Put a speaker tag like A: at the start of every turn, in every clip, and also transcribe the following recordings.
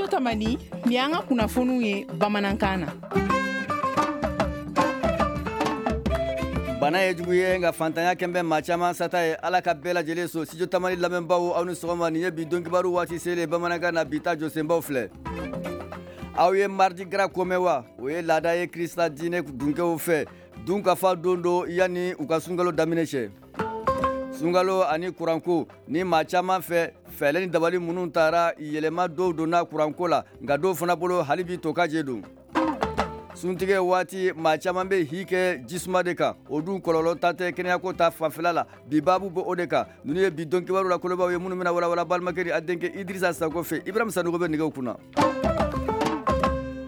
A: Tamani, nin y'an ka kunnafoniw ye bamanankan na.
B: Bana ye jugu ye, nka fantanya kɛn bɛ maa caman sata ye. Ala ka bɛɛ lajɛlen so. Studio Tamani lamɛnbaw, aw ni sɔgɔma. Nin ye bi don kibaru waati selen bamanankan na. Bi ta jɔsenbaw filɛ. Aw ye Mardi Gras ko mɛn wa? O ye laada ye Krista diinɛ dunkew fɛ. Dunkafa don don yanni u ka sunkalo daminɛ cɛ. Sunkalo ani kuranko ni maa caman fɛ, fɛɛrɛ ni dabali minnu taara, yɛlɛma dɔw donna kuranko la, nka dɔw fana bolo, hali bi to ka je don. Suntigɛ waati, maa caman bɛ hi kɛ jisuma de kan. O dun kɔlɔlɔ ta tɛ kɛnɛyako ta fanfɛla la. Bi baabu bɛ o de kan. Ninnu ye bi don kibaru la kolobaw ye minnu bɛna walawala balimakɛ ni a denkɛ Idrissa Sako fɛ. Ibrahim Sanogo bɛ nɛgɛw kunna.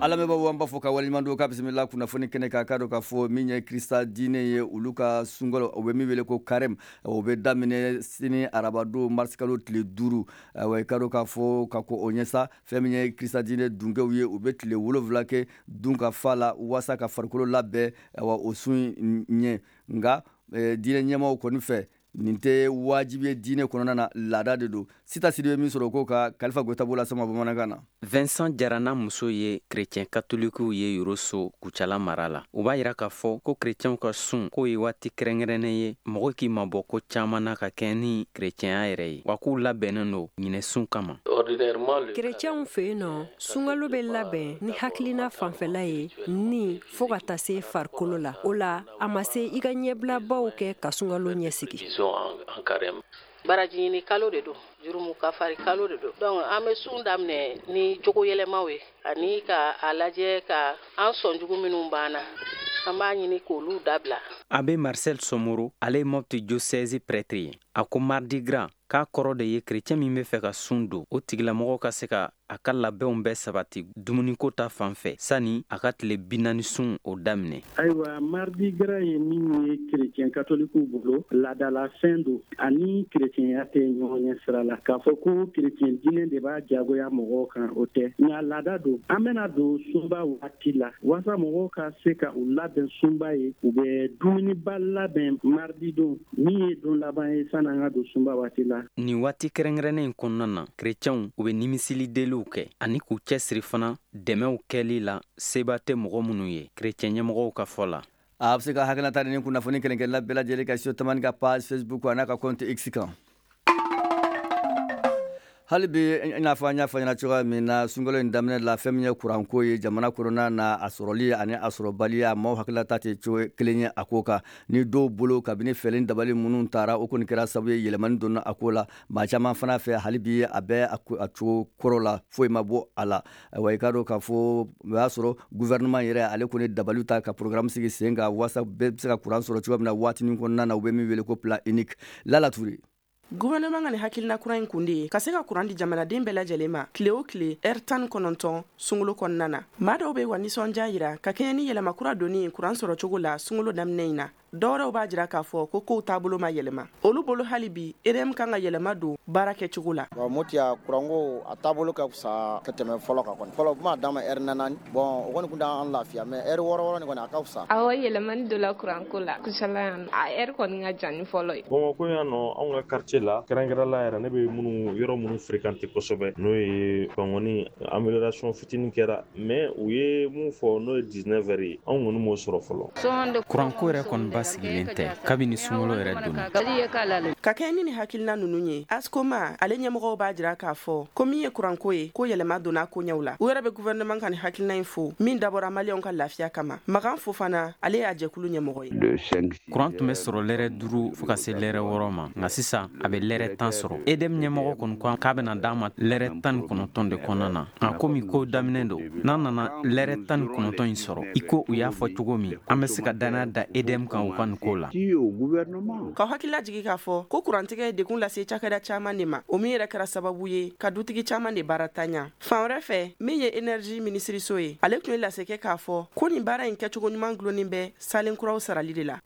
B: An lamɛnbaaw, an b'a fɔ ka waleɲuman dɔn ka bisimila kunnafoni kɛnɛ kan. K'a dɔn k'a fɔ min ye Krista diinɛ ye, olu ka sunkalo, o bɛ min wele ko carême, o bɛ daminɛ sini arabadon, marisikalo tile 5. Ayiwa, i k'a dɔn k'a fɔ ka ko o ɲɛ sa, fɛn min ye Krista diinɛ dunkew ye, u bɛ tile 7 kɛ dunkafa la waasa ka farikolo labɛn, ayiwa, o sun ɲɛ. Nka diinɛ ɲɛmaaw kɔni fɛ, nin tɛ wajibi ye diinɛ kɔnɔna na, laada de don. Sita Sidibe min sɔrɔ o ko ka Kalifa Goyita b'o lasama bamanankan na.
C: Vincent Jara n'a muso ye kerecɛn katolikiw ye Yoroso, Kucala mara la. U b'a yira k'a fɔ ko kerecɛnw ka sun k'o ye waati kɛrɛnkɛrɛnnen ye mɔgɔ k'i mabɔ ko caman na ka kɛ ni kerecɛnya yɛrɛ ye, wa k'u labɛnnen don ɲinɛ sun kama.
D: Kerecɛnw fɛ yen nɔ, sunkalo bɛ labɛn ni hakilina fanfɛla ye ni fo ka taa se farikolo la. O la, a ma se i ka ɲɛbilabaw kɛ ka sunkalo ɲɛsigi.
E: Baraji ɲini kalo de don, jurumu kafari kalo de don. Donc an bɛ sun daminɛ ni jogo yɛlɛmaw ye ani ka a lajɛ ka an sɔnjugu minnu b'an na, an b'a ɲini k'olu dabila.
C: Abbé Marcel Somoro, ale ye Mopti diocèse prêtre ye. A ko Mardi Gras k'a kɔrɔ de ye kerecɛn min bɛ fɛ ka sun don, o tigilamɔgɔ ka se ka a ka labɛnw bɛɛ sabati dumuniko ta fan fɛ sani a ka tile 40 sun o daminɛ.
F: Ayiwa, Mardi Gras ye min ye kerecɛn katolikiw bolo, laadalafɛn don ani kerecɛnya tɛ ɲɔgɔn ɲɛ sira la. K'a fɔ ko kerecɛn diinɛ de b'a jagoya mɔgɔw kan, o tɛ, nka laada don. An bɛna don sunba waati la, waasa mɔgɔw ka se ka u labɛn sunba ye, u bɛ dumuniba labɛn mardi don min ye don laban ye sani an ka don sunba waati la.
C: Nin waati kɛrɛnkɛrɛnnen in kɔnɔna na, kerecɛnw u bɛ nimisili deliw kɛ ani k'u cɛsiri fana dɛmɛw kɛli la seba tɛ mɔgɔ minnu ye, kerecɛn ɲɛmɔgɔw ka fɔ la.
B: A bɛ se ka hakilinata ni kunnafoni kelen-kelenna bɛɛ lajɛlen ka Studio Tamani ka page Facebook a n'a ka compte X kan. Hali bi, i n'a fɔ an y'a fɔ ɲɛna cogoya min na sunkalo in daminɛ la, fɛn min ye kuranko ye jamana kɔnɔna na, a sɔrɔli ani a sɔrɔbaliya, maaw hakilinata tɛ cogo kelen ye a ko kan. Ni dɔw bolo, kabini fɛɛrɛ dabali minnu taara, o kɔni kɛra sababu ye yɛlɛmani donna a ko la. Maa caman fana fɛ, hali bi a bɛ a cogo kɔrɔ la, foyi ma bɔ a la. Ayiwa, i k'a dɔn k'a fɔ o y'a sɔrɔ gouvernement yɛrɛ, ale kɔni dabaliw ta ka programme sigi sen kan waasa bɛɛ bɛ se ka kuran sɔrɔ cogoya min na waatinin kɔnɔna na, u bɛ min wele ko plan unique. Lala Ture.
G: Gouvernement ka nin hakilina kura in kun de ye ka se ka kuran di jamanaden bɛɛ lajɛlen ma tile o tile ɛri 19 sunkalo kɔnɔna na. Maa dɔw bɛ wa nisɔndiya yira ka kɛɲɛ ni yɛlɛma kura donni ye kuran sɔrɔ cogo la sunkalo daminɛ in na. Dɔwɛrɛw b'a jira k'a fɔ ko kow taabolo ma yɛlɛma olu bolo, hali bi EDM kan ka yɛlɛma don baara kɛcogo la.
H: Moti a kuranko a taabolo ka fisa ka tɛmɛ fɔlɔ kan kɔni. Fɔlɔ kuma d'a ma ɛri 4, bon, o kɔni kun t'an lafiya, mais ɛri 6 6 nin kɔni, a ka fisa.
I: Awɔ, yɛlɛmani dɔ la kuranko la Kucala yan, a ɛri kɔni ka jan ni fɔlɔ ye.
J: Bamakɔ yan nɔ, anw ka quartier la, kɛrɛnkɛrɛn la yɛrɛ, ne bɛ minnu yɔrɔ minnu fréquenter kosɛbɛ, n'o ye Bankɔni, amélioration fitinin kɛra, mais u ye mun fɔ, n'o ye 19 heures ye, anw kɔni m'o sɔrɔ fɔlɔ.
C: Kuranko yɛrɛ kɔni basigilen tɛ kabini sunkalo yɛrɛ donna.
G: Ka kɛɲɛ ni nin hakilina ninnu ye, ASCOMA ale ɲɛmɔgɔw b'a jira k'a fɔ ko min ye kuranko ye, ko yɛlɛma donna koɲɛw la. U yɛrɛ bɛ gouvernement ka nin hakilina in fo min dabɔra maliyɛnw ka lafiya kama. Makan Fofana, ale y'a jɛkulu ɲɛmɔgɔ ye.
C: Kuran tun bɛ sɔrɔ lɛrɛ 5 fo ka se lɛrɛ 6 ma, nka sisan a bɛ lɛrɛ 10 sɔrɔ. EDM ɲɛmɔgɔ kɔni ko k'a bɛna d'an ma lɛrɛ 19 de kɔnɔna na, nka komi ko daminɛ don, n'an nana lɛrɛ 19 in sɔrɔ i ko u y'a fɔ cogo min, an bɛ se ka danaya da EDM kan u ka nin ko la.
G: Ka hakilila jigi k'a fɔ ko kurantigɛ ye degun lase cakɛda caman de ma, o min yɛrɛ kɛra sababu ye ka dutigi caman de baara taɲa. Fan wɛrɛ fɛ, min ye énergie minisiriso ye, ale tun ye lase kɛ k'a fɔ ko nin baara in kɛcogo ɲuman gulonnen bɛ salen kuraw sarali de la.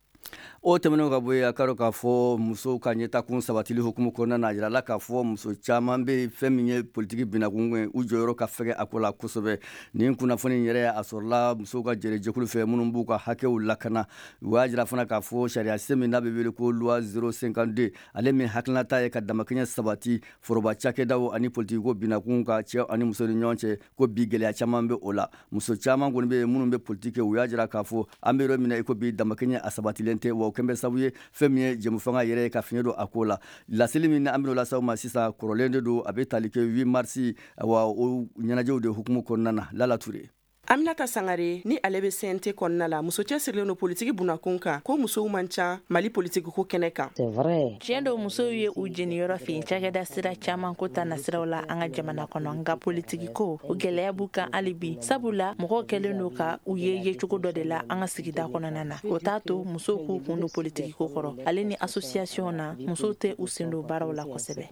B: O tɛmɛnen ka bɔ yen, a ka dɔn k'a fɔ musow ka ɲɛtakun sabatili hukumu kɔnɔna na, a jirala k'a fɔ muso caman bɛ fɛn min ye politiki binakun ye, u jɔyɔrɔ ka fɛgɛ a ko la kosɛbɛ. Nin kunnafoni yɛrɛ, a sɔrɔla musow ka jɛrɛjɛkulu fɛ minnu b'u ka hakɛw lakana. U y'a jira fana k'a fɔ sariya sen min n'a bɛ wele ko loi 052, ale min hakilinata ye ka damakɛɲɛ sabati foroba cakɛdaw ani politikiko binakun ka cɛ ani muso ni ɲɔgɔn cɛ, ko bi gɛlɛya caman bɛ o la. Muso caman kɔni bɛ yen minnu bɛ politiki kɛ, u y'a jira k'a fɔ an bɛ yɔrɔ min na i ko bi, damakɛɲɛ a sabatilen tɛ, wa o kɛn bɛ sababu ye fɛn min ye jɛmufanga yɛrɛ ye ka fiɲɛ don a ko la. Laseli min an bɛn'o lase aw ma sisan, kɔrɔlen de don, a bɛ tali kɛ 8 mars wa o ɲɛnajɛw de hukumu kɔnɔna na. Lala Ture.
G: Aminata Sangare ni ale bɛ CNT kɔnɔna la, muso cɛsirilen don politiki bunakun kan, ko musow man ca Mali politiki ko kɛnɛ kan.
K: Tiɲɛ don, musow ye u jeniyɔrɔ fin cakɛda sira caman ko ta nasiraw la an ka jamana kɔnɔ, nka politiki ko, o gɛlɛya b'u kan hali bi, sabula mɔgɔw kɛlen don ka u ye yecogo dɔ de la an ka sigida kɔnɔna na. O t'a to musow k'u kun don politiki ko kɔrɔ. Ale ni association na, musow tɛ u sen don baaraw la kosɛbɛ.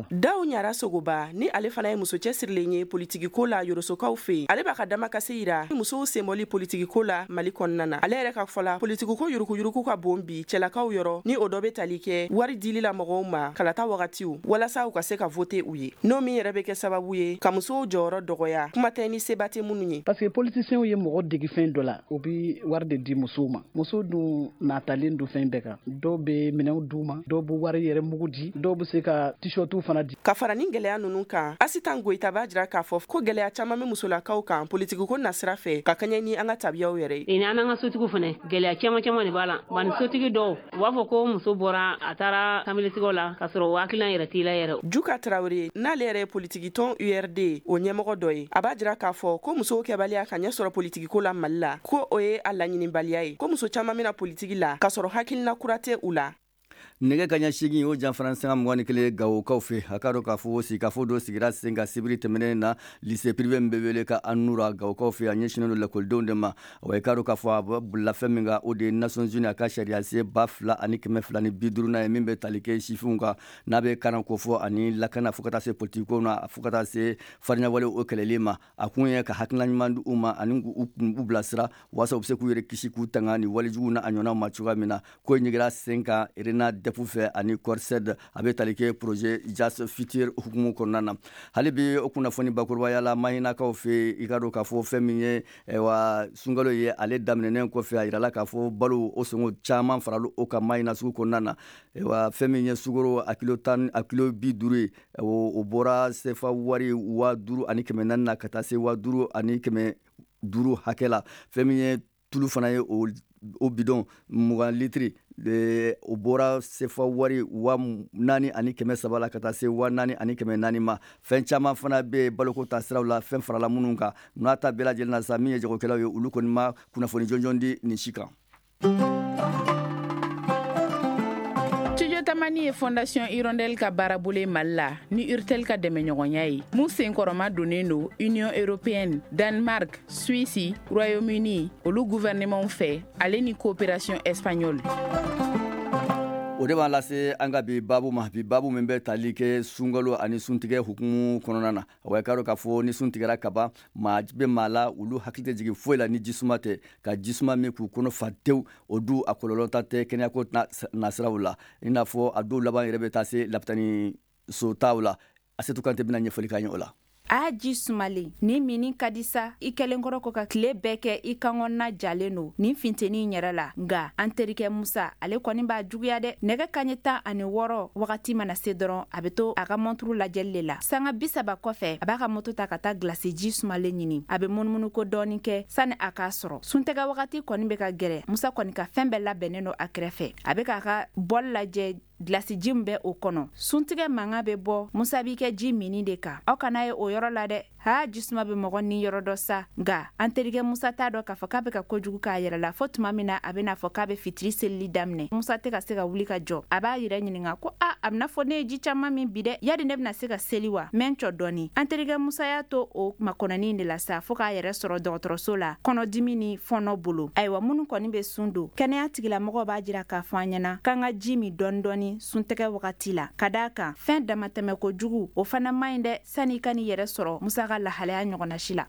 G: Daw Ɲara Sogoba ni ale fana ye muso cɛsirilen ye politiki ko la Yorosokaw fɛ yen, ale b'a ka damakasi yira musow senbɔli politiki ko la Mali kɔnɔna na. Ale yɛrɛ ka fɔ la, politiki ko yurukuyuruku ka bon bi cɛlakaw yɔrɔ, ni o dɔ bɛ tali kɛ wari dili la mɔgɔw ma kalata wagatiw walasa u ka se ka vote u ye, n'o min yɛrɛ bɛ kɛ sababu ye ka musow jɔyɔrɔ dɔgɔya, kuma tɛ ni seba tɛ minnu ye.
F: Parce que politiciens ye mɔgɔ degi fɛn dɔ la, u bɛ wari de di musow ma. Musow dun natalen don fɛn bɛɛ kan. Dɔw bɛ minɛnw d'u ma, dɔw bɛ wari yɛrɛ mugu di, dɔw bɛ se ka t-shirtiw fana di.
G: Ka fara ni gɛlɛya ninnu kan, Asitan Goyita b'a jira k'a fɔ ko gɛlɛya caman bɛ musolakaw kan politiki ko nasira fɛ ka kaɲɛ ni an ka tabiyaw yɛrɛ
L: ye. Ni an ka sotigiw fana, gɛlɛya caman caman de b'a la. Bani sotigi dɔw u b'a fɔ ko muso bɔra a taara kamilitigiw la k'a sɔrɔ o hakilina yɛrɛ t'i la yɛrɛ.
G: Juka Tarawele n'ale yɛrɛ ye politiki tɔn URD o ɲɛmɔgɔ dɔ ye, a b'a jira k'a fɔ ko musow kɛbaliya ka ɲɛ sɔrɔ politiki ko la Mali la, ko o ye a laɲinibaliya ye, ko muso caman bɛna politiki la k'a sɔrɔ hakilina kura tɛ u la.
B: Nɛgɛ kaɲa 8 o janfara sanga 21 Gawokaw fɛ, a ka dɔn k'a fɔ sigikafo dɔ sigira sen kan sibiri tɛmɛnen na lycée privé min bɛ wele ka Anura Gawokaw fɛ. A ɲɛsinnen don lakɔlidenw de ma. Wa i ka dɔn k'a fɔ a bɛ bolila fɛn min kan, o de ye Nations Unies a ka sariya sen 2250nan ye min bɛ tali kɛ sifinw kan, n'a bɛ karan ko fɔ ani lakana, fo ka taa se politikiko na, fo ka taa se farinyawale o kɛlɛli ma. A kun ye ka hakilina ɲuman di u ma ani k'u bilasira walasa u bɛ se k'u yɛrɛ kisi k'u tanga ni walejugu na a ɲɔgɔnnaw ma cogoya min na. Ko in ɲɛgira sen kan Rena DEP fɛ ani Corsed, a bɛ tali kɛ projet Jas Futur hukumu kɔnɔna na. Hali bi o kunnafoni bakurubaya la, Mahinakaw fɛ, i ka dɔn k'a fɔ fɛn min ye wa sunkalo ye, ale daminɛnen kɔfɛ, a yirala k'a fɔ balo o sɔngɔ caman farala o kan Mahina sugu kɔnɔna na. Wa fɛn min ye sukaro a kilo 10, a kilo 50 ye, o bɔra sefa wari 5400 na ka taa se 5500 hakɛ la. Fɛn min ye tulu fana ye, o bidon 20 litiri, o bɔra sefa wari 4300 la ka taa se 4400 ma. Fɛn caman fana bɛ baloko ta siraw la, fɛn farala minnu kan. N'a ta bɛɛ lajɛlen na sa, min ye jagokɛlaw ye, olu kɔni ma kunnafoni jɔnjɔn di nin si kan.
A: Studio Tamani ye Fondation Hirondelle ka baarabolo ye Mali la ni Urtel ka dɛmɛɲɔgɔnya ye, mun senkɔrɔma donnen don Union européenne, Danemark, Suisse, Royaume-Uni olu gouvernement fɛ, ale ni coopération espagnole.
B: O de b'an lase an ka bi babu ma, bi babu min bɛ tali kɛ sunkalo ani suntigɛ hukumu kɔnɔna na. Wa i k'a dɔn k'a fɔ ni sun tigɛra kaban, maa bɛ maa la, olu hakili tɛ jigin foyi la ni jisuma tɛ, ka jisuma min k'u kɔnɔ fa tewu. O dun a kɔlɔlɔ ta tɛ kɛnɛyako nasiraw la, i n'a fɔ a dɔw laban yɛrɛ bɛ taa se lapitani so taw la. Asetu Kante bɛna ɲɛfɔli k'an ye o la.
M: A ji sumalen ni mini ka di sa, i kɛlen kɔrɔ ko ka tile bɛɛ kɛ i kankɔnɔna jalen don nin finteni in yɛrɛ la. Nka an terikɛ Musa, ale kɔni b'a juguya dɛ. Nɛgɛ kaɲɛ 16 wagati mana se dɔrɔn, a bɛ to a ka mɔnturu lajɛli de la. Sanga 30 kɔfɛ, a b'a ka moto ta ka taa gilasi ji sumalen ɲini. A bɛ munumunu ko dɔɔni kɛ sani a k'a sɔrɔ. Suntɛgɛ wagati kɔni bɛ ka gɛrɛ. Musa kɔni ka fɛn bɛɛ labɛnnen don a kɛrɛfɛ. A bɛ k'a ka bɔli lajɛ, gilasi ji min bɛ o kɔnɔ. Suntigɛ mankan bɛ bɔ, Musa b'i kɛ ji mini de kan. Aw kana ye o yɔrɔ la dɛ. Ha, jisuma bɛ mɔgɔ ni yɔrɔ dɔ sa. Nka an terikɛ Musa t'a dɔn k'a fɔ k'a bɛ ka kojugu k'a yɛrɛ la, fo tuma min na a bɛna fɔ k'a bɛ fitiri selili daminɛ. Musa tɛ ka se ka wuli ka jɔ. A b'a yɛrɛ ɲininka ko a a bɛna fɔ ne ye ji caman min bi dɛ, yadi ne bɛna se ka seli wa? Mɛ n cɔ dɔɔni. An terikɛ Musa y'a to o makɔnɔni de la sa, fo k'a yɛrɛ sɔrɔ dɔgɔtɔrɔso la kɔnɔdimi ni fɔnɔ bolo. Ayiwa, minnu kɔni bɛ sun don, kɛnɛya tigilamɔgɔw b'a jira k'a fɔ an ɲɛna k'an ka ji min dɔɔni dɔɔni suntɛgɛ wagati la, ka d'a kan fɛn damatɛmɛ kojugu o fana man ɲi dɛ, sani i ka n'i yɛrɛ sɔrɔ Musa ka lahalaya ɲɔgɔnna si la.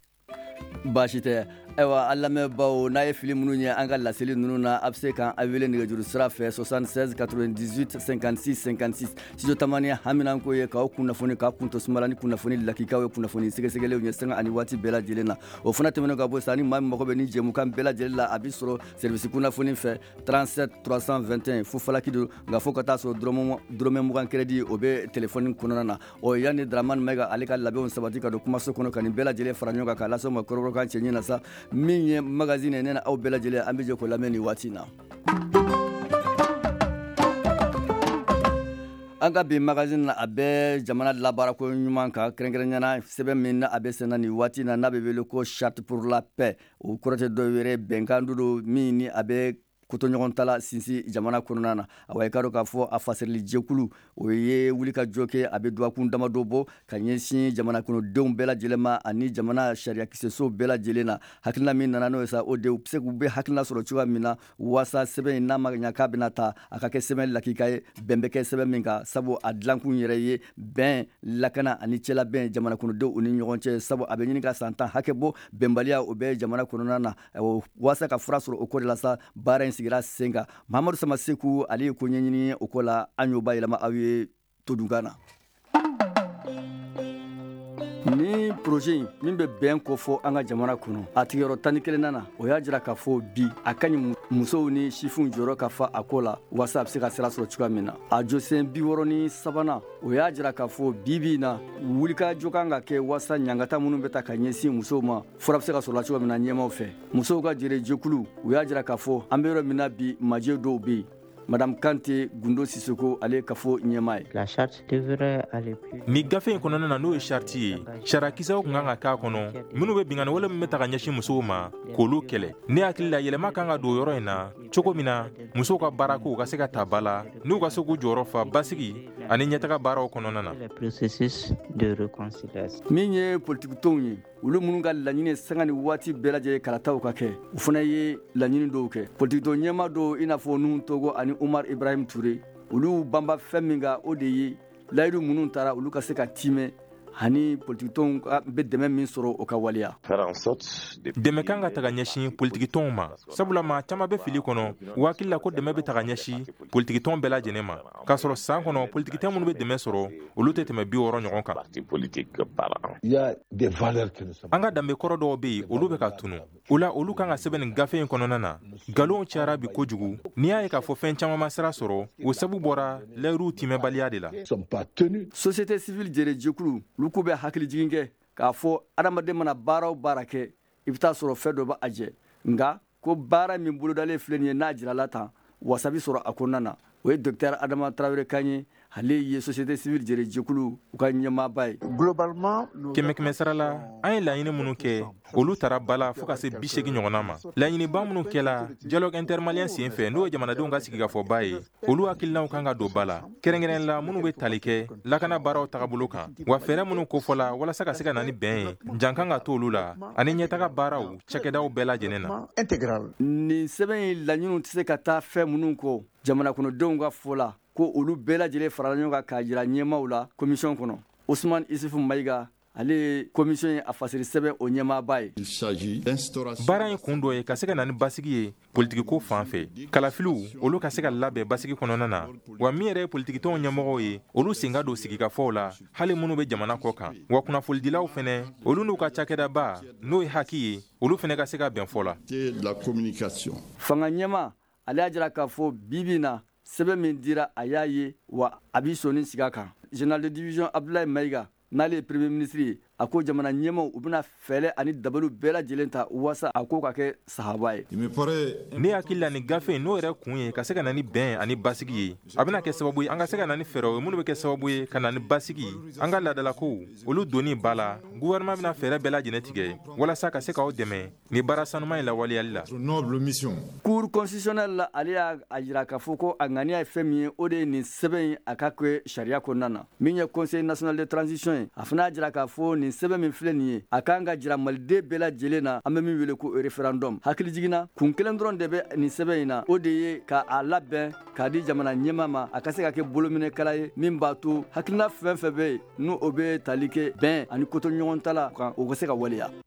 B: Baasi tɛ. Ayiwa, an lamɛnbaw, n'a ye fili minnu ye an ka laseli ninnu na, a bɛ se k'an wele nɛgɛjuru sira fɛ 76 98 56 56. Studio Tamani haminanko ye k'aw kunnafoni, k'aw kun to sumala ni kunnafoni lakikaw ye, kunnafoni sɛgɛsɛgɛlenw ye sanga ani waati bɛɛ lajɛlen na. O fana tɛmɛnen ka bɔ sa, ni maa min mago bɛ ni jɛmukan bɛɛ lajɛlen la, a bɛ sɔrɔ service kunnafoni fɛ 37 321 fo falaki don, nka fo ka taa sɔrɔ dɔrɔmɛ 20 crédit o bɛ téléphone kɔnɔna na. Ɔ, yanni Dramane Mayiga ale ka labɛnw sabati ka don kumaso kɔnɔ ka nin bɛɛ lajɛlen fara ɲɔgɔn kan k'a lase aw ma kɔrɔbɔrɔkan cɛɲi na sa, min ye magazine ye, ne na aw bɛɛ lajɛlen, an bɛ jɛ k'o lamɛn nin waati in na. An ka bi magazine na, a bɛ jamana labaarako ɲuman kan, kɛrɛnkɛrɛnnenya na sɛbɛn min na a bɛ senna nin waati na, n'a bɛ wele ko Charte pour la paix. O kɔrɔ tɛ dɔ wɛrɛ, bɛnkan don min ni a bɛ kotoɲɔgɔn sinsin jamana kɔnɔna na. Awa, i ka dɔn k'a fɔ a fasirili jɛkulu, o ye wulikajɔ kɛ, a bɛ dɔgɔkun damadɔ bɔ, ka ɲɛsin jamana kɔnɔdenw bɛɛ lajɛlen ma ani jamana sariyakisɛsow bɛɛ lajɛlen na. Hakilina min nana n'o ye sa, o de u bɛ se k'u bɛ hakilina sɔrɔ cogoya min na waasa sɛbɛn in, n'a ma ɲa k'a bɛna ta, a ka kɛ sɛbɛn lakika ye, bɛn bɛ kɛ sɛbɛn min kan, sabu a dilankun yɛrɛ ye bɛn, lakana ani cɛlabɛn jamana kɔnɔdenw u ni ɲɔgɔn cɛ, sabu a bɛ ɲini ka san 10 hakɛ bɔ, bɛnbaliya o bɛ jamana kɔnɔna na. Waasa ka fura sɔrɔ o ko de la sa, baara in sigira sen kan. Mahamadu Samaseku, ale ye ko ɲɛɲini o ko la, an y'o bayɛlɛma aw ye todunkan na. Ni projet in min bɛ bɛn kofɔ an ka jamana kɔnɔ, a tigiyɔrɔ 11nan na, o y'a jira k'a fɔ bi a ka ɲi musow ni sifinw jɔyɔrɔ ka fa a ko la, waasa a bɛ se ka sira sɔrɔ cogoya min na. A jɔsen 63nan, o y'a jira k'a fɔ bi bi in na, wulikajɔ kan ka kɛ waasa ɲangata minnu bɛ ta ka ɲɛsin musow ma, fura bɛ se ka sɔrɔ la cogoya min na ɲɛmaw fɛ. Musow ka jɛrɛjɛkulu, u y'a jira k'a fɔ an bɛ yɔrɔ min na bi, majɛ dɔw bɛ yen. Madame Kante Gundo Sissoko, ale kafo ɲɛmaa ye.
N: La charte devrait aller plus.
O: Ni gafe in kɔnɔna na, n'o ye charte ye, sariyakisɛw tun kan ka k'a kɔnɔ minnu bɛ binkanni wale min bɛ ta ka ɲɛsin musow ma, k'olu kɛlɛ. Ne hakili la, yɛlɛma kan ka don yɔrɔ in na cogo min na musow ka baarakow ka se ka ta ba la, n'u ka se k'u jɔyɔrɔ fa basigi ani ɲɛtaga baaraw kɔnɔna na.
N: Les processus de réconciliation.
B: Min ye politikitɔnw ye, olu minnu ka laɲini sanga ni waati bɛɛ lajɛlen kalataw ka kɛ, u fana ye laɲini dɔw kɛ. Politikitɔn ɲɛmaa dɔw, i n'a fɔ Nuhu Togo ani Umar Ibrahim Touré, olu banba fɛn min kan, o de ye layidu minnu taara, olu ka se ka timɛ ani politikitɔnw bɛ dɛmɛ min sɔrɔ, o ka waleya.
O: Dɛmɛ kan ka taga ɲɛsin politikitɔnw ma, sabula maa caman bɛ fili kɔnɔ, u hakili la ko dɛmɛ bɛ taga ɲɛsin politikitɔn bɛɛ lajɛlen ma, k'a sɔrɔ san kɔnɔ politikitɔn minnu bɛ dɛmɛ sɔrɔ, olu tɛ tɛmɛ 60 ɲɔgɔn kan. An ka danbe kɔrɔ dɔw bɛ yen, olu bɛ ka tunu. O la, olu kan ka sɛbɛn nin gafe in kɔnɔna na. Nkalonw cayara bi kojugu. N'i y'a ye k'a fɔ fɛn caman ma sira sɔrɔ, o sabu bɔra layiruw timɛbaliya de la.
B: Société civile jɛrɛjɛkulu, olu k'u bɛ hakilijigin kɛ k'a fɔ adamaden mana baara o baara kɛ, i bɛ taa sɔrɔ fɛn dɔ bɛ a jɛ, nka ko baara min bolodalen filɛ nin ye, n'a jirala tan, wasa bɛ sɔrɔ a kɔnɔna na. O ye docteur Adama Tarawele kan ye, ale ye société civile jɛrɛjɛkulu u ka ɲɛmaaba ye.
O: Kɛmɛ kɛmɛ sara la, an ye laɲini minnu kɛ, olu taara ba la fo ka se 80 ɲɔgɔnna ma. Laɲiniba minnu kɛla dialogue intermalien sen fɛ, n'o ye jamanadenw ka sigikafɔba ye, olu hakilinaw kan ka don ba la, kɛrɛnkɛrɛn la minnu bɛ tali kɛ lakana baaraw tagabolo kan, wa fɛɛrɛ minnu kofɔla walasa ka se ka na ni bɛn ye, jan kan ka to olu la ani ɲɛtaga baaraw cakɛdaw bɛɛ lajɛlen na.
B: Nin sɛbɛn in laɲiniw tɛ se ka taa fɛn minnu kɔ, jamana kɔnɔdenw ka fɔ la ko olu bɛɛ lajɛlen farala ɲɔgɔn kan k'a jira ɲɛmaaw la commission kɔnɔ. Usman Isufu Mayiga, ale ye commission ye a fasiri sɛbɛn o ɲɛmaaba ye.
O: Baara in kun dɔ ye ka se ka na ni basigi ye politikiko fan fɛ, kalafiliw olu ka se ka labɛn basigi kɔnɔna na, wa min yɛrɛ ye politikitɔnw ɲɛmɔgɔw ye, olu sen ka don sigikafɔw la, hali minnu bɛ jamana kɔ kan, wa kunnafonidilaw fɛnɛ, olu n'u ka cakɛdaba n'o ye HAKI ye, olu fɛnɛ ka se ka bɛn fɔ la.
B: Fanga ɲɛmaa, ale y'a jira k'a fɔ bi bi na, sɛbɛn min dira, a y'a ye wa a b'i sɔnni sigi a kan. Général de division Abdoulaye Mayiga, n'ale ye premier ministre ye, a ko jamana ɲɛmaw, u bɛna fɛɛrɛ ani dabaliw bɛɛ lajɛlen ta waasa a ko ka kɛ sahaba ye.
O: Ne hakili la, nin gafe in n'o yɛrɛ kun ye ka se ka na ni bɛn ani basigi ye, a bɛna kɛ sababu ye an ka se ka na ni fɛɛrɛw ye minnu bɛ kɛ sababu ye ka na ni basigi, an ka laadalakow olu donni ba la. Gouvernement bɛna fɛɛrɛ bɛɛ lajɛlen tigɛ walasa ka se k'aw dɛmɛ ni baara sanuman in lawaleyali la.
B: Cour constitutionnelle la, ale y'a jira k'a fɔ ko a ŋaniya ye fɛn min ye, o de ye nin sɛbɛn in a ka kɛ sariya kɔnɔna na. Min ye Conseil national de transition ye, a fana y'a jira k'a fɔ nin sɛbɛn min filɛ nin ye, a kan ka jira maliden bɛɛ lajɛlen na, an bɛ min wele ko référendum. Hakili jiginna, kun kelen dɔrɔn de bɛ nin sɛbɛn in na, o de ye ka a labɛn k'a di jamana ɲɛmaa ma, a ka se ka kɛ bolominɛkala ye min b'a to hakilina fɛn fɛn bɛ yen, n'o o bɛ tali kɛ bɛn ani kotoɲɔgɔntala kan, o ka se ka waleya.